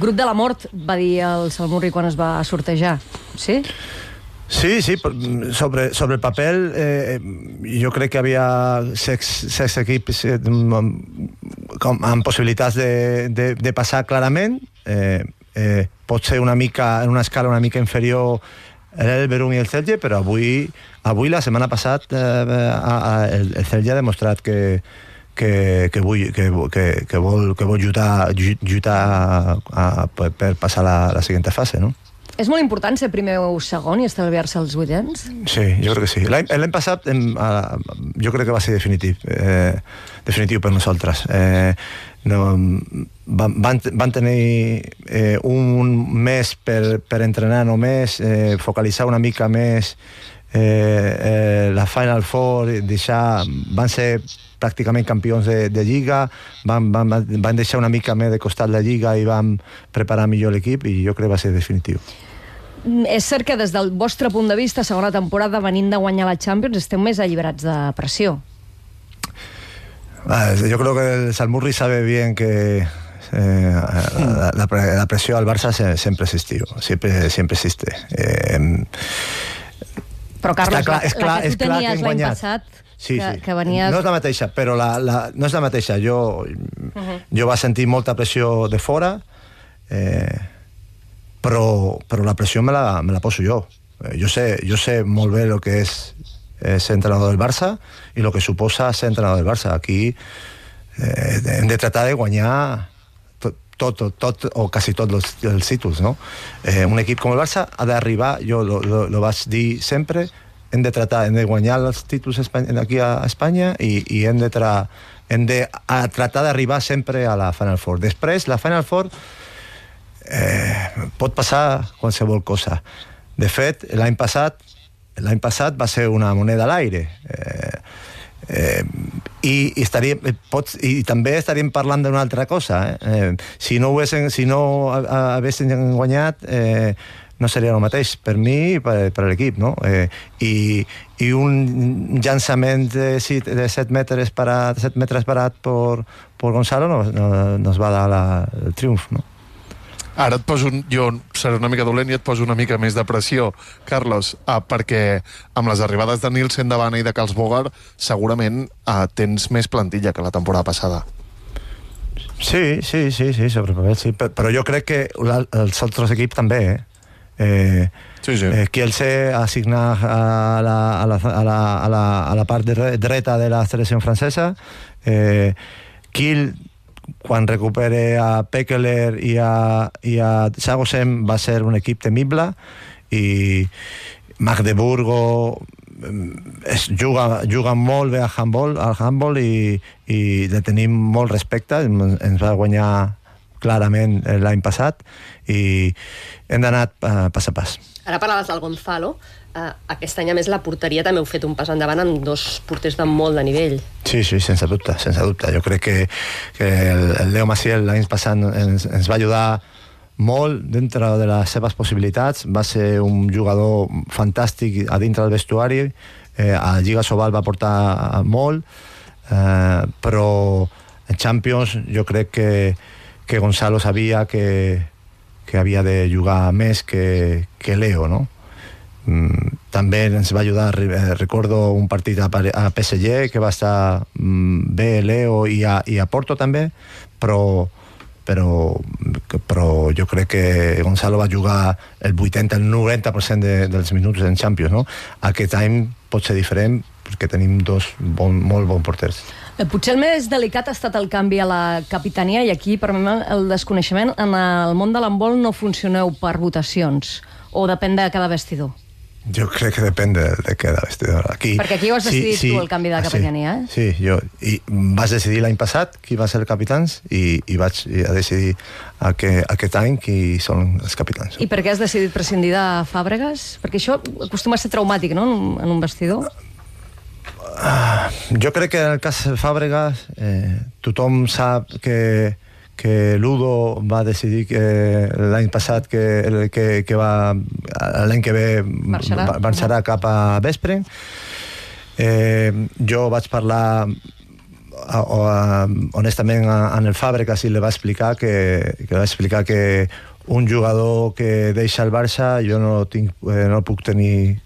Grup de la mort, va dir el Salmurri quan es va sortejar, sí? Sí, sobre el papel jo crec que havia 6 equips amb possibilitats de passar clarament. Pot ser una mica, en una escala una mica inferior l'Elverum i el Celje, però avui la setmana passada el Celje ha demostrat que vol lluitar per passar la següent fase, no? És molt important ser primer o segon i estalviar-se els vuitens? Sí, jo crec que sí. L'any passat jo crec que va ser definitiu per nosaltres. Van tenir un mes per entrenar només, focalitzar una mica més la Final Four, van ser pràcticament campions de Lliga, van deixar una mica més de costat la Lliga i van preparar millor l'equip i jo crec que va ser definitiu. És cert que des del vostre punt de vista, segona temporada, venint de guanyar la Champions, esteu més alliberats de pressió. Yo creo que el Salmurri sabe bien que la presión al Barça siempre existió, siempre existe. Però, Carlos, la que tu tenies l'any passat, que venies... No és la mateixa, però no és la mateixa. Jo vaig sentir molta pressió de fora, però la pressió me la poso jo. Jo sé molt bé el que és ser entrenador del Barça i el que suposa ser entrenador del Barça. Aquí hem de tratar de guanyar tot o quasi tots els títols, no? Un equip com el Barça ha d'arribar, jo lo vaig dir sempre, hem de guanyar els títols aquí a Espanya i hem de tratar d'arribar sempre a la Final Four. Després, la Final Four pot passar qualsevol cosa. De fet, l'any passat va ser una moneda a l'aire. I també estaríem parlant d'una altra cosa. Si no haguessin guanyat, no seria el mateix per mi i per l'equip, no? I un llançament de 7 metres parat per Gonzalo nos va dar el triomf, no? Ara jo seré una mica dolent i et poso una mica més de pressió, Carlos, perquè amb les arribades de Nielsen de Bana i de Karlsbogar segurament tens més plantilla que la temporada passada. Sí, sobre el paper, sí. Però jo crec que els altres equips també, Sí. Kielce ha assignat a la part dreta de la selecció francesa. Kiel, quan recupere a Pekeler i a Sagosem, va ser un equip temible, i Magdeburgo juga molt bé al handball i le tenim molt respecte. Ens va guanyar clarament l'any passat i hem d'anar pas a pas. Ara parlaves del Gonzalo. Aquest any, a més, la porteria també heu fet un pas endavant amb 2 porters de molt de nivell. Sí, sense dubte. Jo crec que el Leo Maciel l'any passat ens va ajudar molt dintre de les seves possibilitats. Va ser un jugador fantàstic a dintre del vestuari. A Lliga Sobal va portar molt, però en Champions jo crec que Gonzalo sabia que havia de jugar més que Leo, no? També ens va ajudar, recordo un partit a PSG que va estar bé Leo i a Porto també, però jo crec que Gonzalo va jugar el 90% dels minuts en Champions, no? Aquest any pot ser diferent perquè tenim 2 molt bons porters. Potser el més delicat ha estat el canvi a la capitania, i aquí, per mi, el desconeixement. En el món de l'handbol no funcioneu per votacions, o depèn de cada vestidor? Jo crec que depèn de cada vestidor. Perquè aquí ho has decidit tu, el canvi de capitania, Sí, jo. I vas decidir l'any passat qui va ser el capitans i vaig decidir aquest any qui són els capitans. I per què has decidit prescindir de Fàbregas? Perquè això acostuma a ser traumàtic, no?, en un vestidor. Jo crec que en el cas Fàbregas tothom sap que Ludo va decidir l'any passat que l'any que ve marxarà cap a Veszprém. Jo vaig parlar honestament en el Fàbregas li va explicar que un jugador que deixa el Barça jo no puc tenir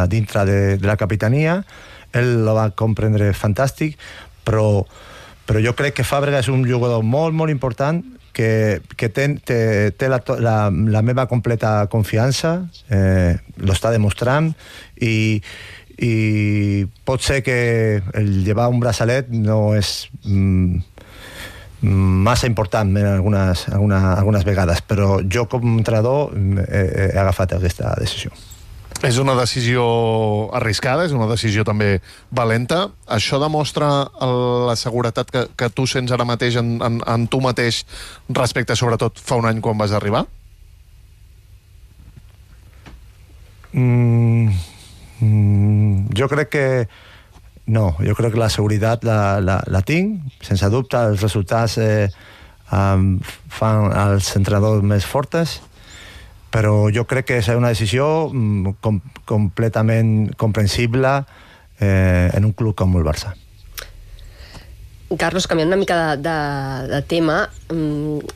dintre de la capitania. Ell lo va comprendre fantàstic, però jo crec que Fàbregas és un jugador molt, molt important que té la meva completa confiança, lo està demostrant, i pot ser que el llevar un braçalet no és massa important algunes vegades, però jo com a entrenador he agafat aquesta decisió. És una decisió arriscada, és una decisió també valenta. Això demostra la seguretat que tu sents ara mateix en tu mateix respecte, sobretot, fa un any quan vas arribar? Jo crec que no, jo crec que la seguretat la tinc, sense dubte. Els resultats fan els entrenadors més fortes, però jo crec que és una decisió completament comprensible en un club com el Barça. Carlos, canviant una mica de tema,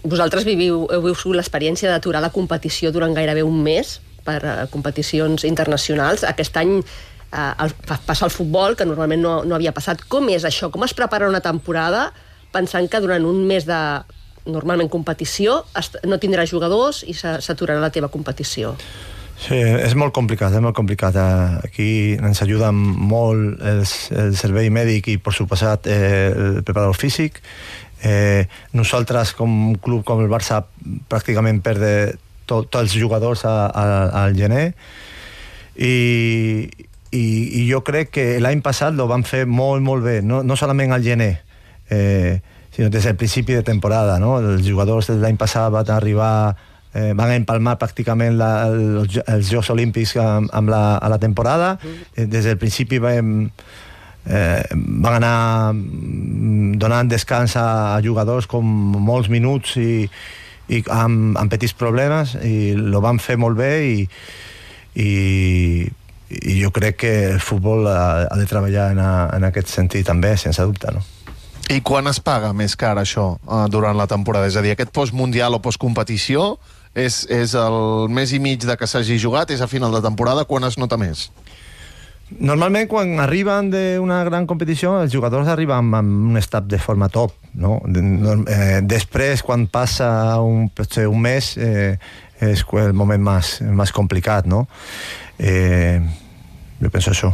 vosaltres heu viscut l'experiència d'aturar la competició durant gairebé un mes per competicions internacionals. Aquest any passa al futbol, que normalment no havia passat. Com és això? Com es prepara una temporada pensant que durant un mes de normalment competició no tindràs jugadors i s'aturarà la teva competició? Sí, és molt complicat, és molt complicat. Aquí ens ajuda molt el servei mèdic i, per suposat, el preparador físic. Nosaltres, com un club com el Barça, pràcticament perdem tots els jugadors al gener, i jo crec que l'any passat ho van fer molt, molt bé, no solament al gener, sinó des del principi de temporada, no? Els jugadors de l'any passat van empalmar pràcticament els Jocs Olímpics amb la temporada. Des del principi van anar donant descans a jugadors com molts minuts i amb petits problemes, i ho van fer molt bé, i jo crec que el futbol ha de treballar en aquest sentit també, sense dubte, no? I quan es paga més car això durant la temporada? És a dir, aquest postmundial o postcompetició és el mes i mig de que s'hagi jugat, és a final de temporada, quan es nota més? Normalment, quan arriben d'una gran competició, els jugadors arriben amb un estat de forma top, no? Després, quan passa potser un mes, és el moment més complicat, no? Jo penso això.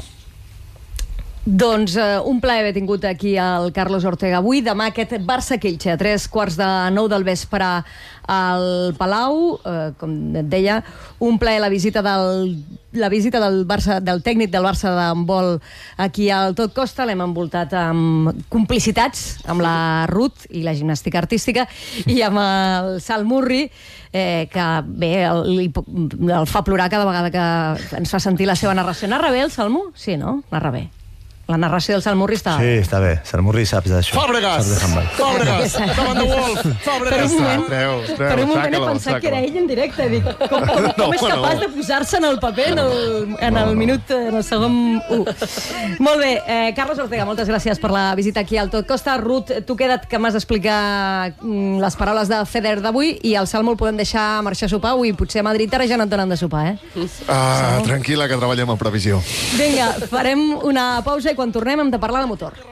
Doncs un plaer haver tingut aquí el Carlos Ortega avui. Demà aquest Barça-Kielce a 8:45 del vespre al Palau. Com et deia, un plaer la visita del Barça, del tècnic del Barça d'handbol aquí al Tot Costa. L'hem envoltat amb complicitats amb la Ruth i la gimnàstica artística i amb el Sal Murri, que bé, el fa plorar cada vegada que ens fa sentir la seva narració. Narra bé el Salmo? Sí, no? Narra bé. La narració del Salmurri està... Sí, està bé. Salmurri saps d'això. Fàbregas! Fàbregas! Come on the Wolf! Fàbregas! Per un moment he pensat que era ell en directe. Dic, com és capaç de posar-se en el paper en el segon 1? Molt bé. Carlos Ortega, moltes gràcies per la visita aquí al Tot Costa. Ruth, tu queda't que m'has d'explicar les paraules de Federer d'avui, i el Salmo el podem deixar marxar a sopar. Avui potser a Madrid ara ja no et donen de sopar, Tranquil·la, que treballem en previsió. Vinga, farem una pausa i quan tornem hem de parlar de motor.